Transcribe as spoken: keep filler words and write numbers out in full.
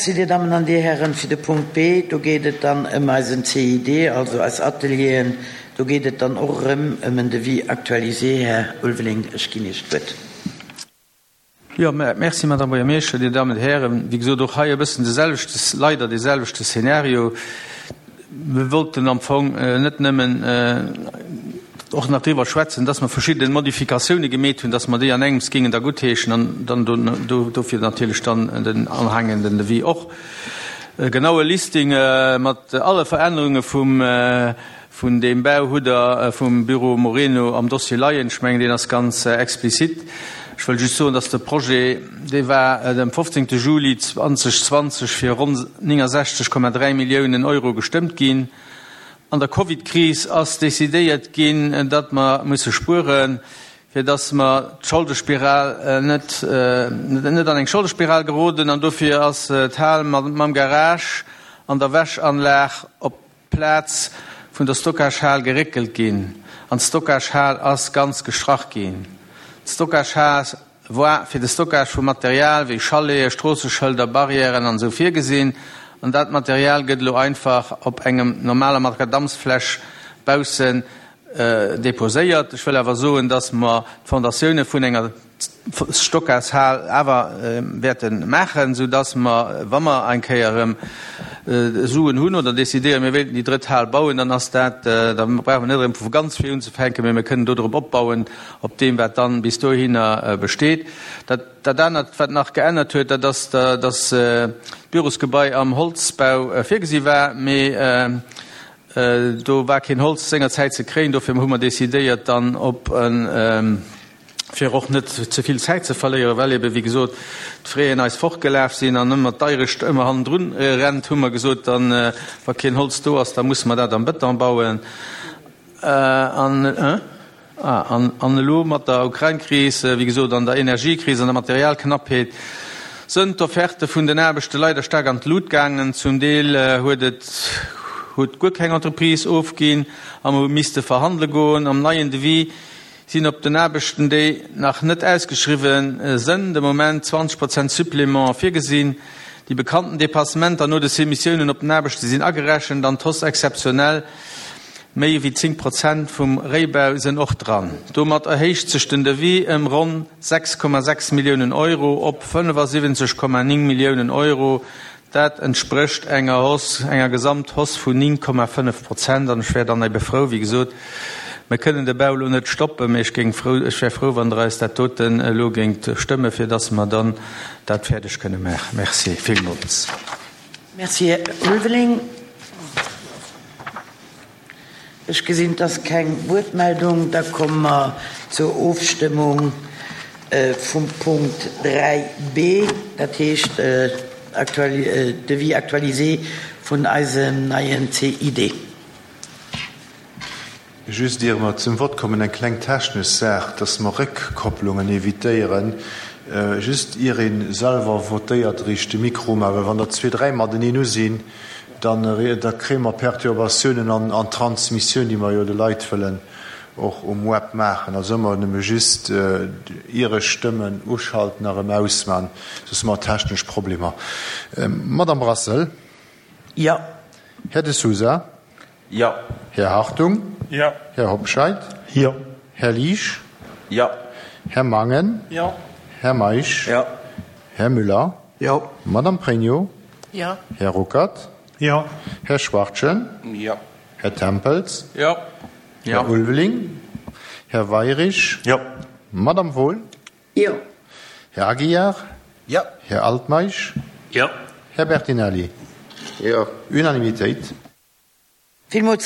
Merci, Dir Dammen an Dir Hären, fir de Punkt B. Do geet et dann ëm eisen C I D, also eis Atelieren. Do geet et dann och erëm ëm en Devis actualisé. Här Ulveling, ech ginn Iech d'Wuert. Jo, merci, Madame Buergermeeschter, Dir Dammen an Hären. Wéi gesot, och hei e bëssen de selwechte, leider de selwechte Szenario. Mir wollten am Fong net nëmmen och nach driwwer schwätzen, dass mer verschidde Modifikatioune gemeet hunn, dass mer déi an engems géingen da guttheeschen an dann do dofir natierlech dann den anhängenden Devis och. E genaue Listing mat alle Verännerunge vum vun deem Bau hutt Der vum Büro Moreno am Dossier leien. Ech mengen, deen ass ganz explizit. Ech wëll just soen, dass de Projet, dee war dem fofzéngte Juli zweedausendzwanzeg fir ronn néngensechzeg Komma dräi Milliounen Euro gestëmmt ginn. An der Covid-Kris ass decidéiert ginn, datt mer musse spueren, fir datt mer d'Scholdespiral net net an eng Scholdespiral geroden, an dofir ass d'Hal mam Garage an der Wäschanlag op d'Plaz vun der Stockagehal geréckelt ginn an d'Stockagehal ass ganz gestrach ginn. D'Stockagehal war fir de Stockage vu Material wéi Chaleten, Stroosseschëlder, Barrièren an esou virgesinn, an dat Material gëtt elo einfach op engem normaler Makadamsfläch baussen deposéiert. Ech wëll awer soen, dass mer d'Fondatioune vun enger Stockagehal awer wäerte maachen, sou dass mer, wa mer eng Kéier erëm Suen hunn oder decidéieren, mir wéilten déi drëtt Hal bauen, dann ass dat, da brauche mer net erëm vu ganz vir unzefänken, mee mir kënnen do drop opbauen, op deem, wat dann bis dohinner besteet. Dat, dat anert, wat nach geännert huet, dat ass, dass d'Bürosgebai am Holzbau virgesi war, mee do war keen Holz sengerzäit ze kréien. Dofir hu mer decidéiert, dann op en, fir och net ze vill Zäit ze verléieren, well ebe wéi gesot d'Fraisen eis fortgelaf sinn an ëmmer d'Deirecht ëmmer hannendrun rennt, hu mer gesot, dann, wa keen Holz do ass, da musse mer dat am Bëton bauen. An an elo mat der Ukrain-Kris, wéi gesot, an der Energiekris an der Materialknappheet sënn d'Offerte vun den Aarbechte leider staark an d'Lut gaangen. Zum Deel huet et huet guer keng Entreprise ofginn a mer hu misste verhandele goen. Am neien Devis sinn op den Aarbechten, déi nach net ausgeschriwwen sënn, de Moment zwanzeg Prozent Supplément virgesinn. Déi bekannten Dépassementer no de Soumissiounen op den Aarbechte sinn agerechent an d'Hausse exceptionnelle méi wéi zéng Prozent vum Réibau sënn och dran. Domat erhéicht sech den Devis ëm ronn sechs Komma sechs Milliounen Euro op fënnefasiwwenzeg Komma néng Milliounen Euro. Dat entsprécht enger Hausse, enger Gesamthausse vun néng Komma fënnef Prozent. An ech wär dann ebe frou, wéi gesot, mir kënnen de Bau elo net stoppen, mee ech géing frou, ech wär frou, wann Der eis dat doten elo géingt stëmme, fir dass mer dann dat fäerdeg kënne maachen. Merci villmools. Merci, Här Ulveling. Ech gesinn, et ass keng Wuertmeldung. Da komme mer zur Ofstëmmung vum Punkt dräi B, dat heescht Devis actualisé vun eisem neien C I D. Just ier mer zum Vott kommen, eng kleng technesch Saach, dass mer Réckkopplungen evitéieren. Just ier ee selwer votéiert, riicht de Mikro um, well wann der zwee, dräi mateneen u sinn, dann da kréie mer Perturbatiounen an an d'Transmissioun, déi mer jo de Leit wëllen och um Web maachen. Also ëmmer nëmme just ier ech stëmmen uschalten a rëm ausman, soss hu mer technesch Problemer. Madame Brassel? Jo. Här De Sousa? Jo. Här Hartung? Jo. Här Hobscheit? Jo. Här Liesch? Jo. Här Mangen? Jo. Här Meisch? Jo. Här Müller? Jo. Madame Pregno? Jo. Här Ruckert? Jo. Här Schwachtgen? Jo. Här Tempels? Jo. Här Ulveling? Här Weirich? Jo. Madame Wohl? Jo. Här Aguiar? Jo. Här Altmeisch? Jo. Här Bertinelli? Jo. Unanimitéit. Villmools.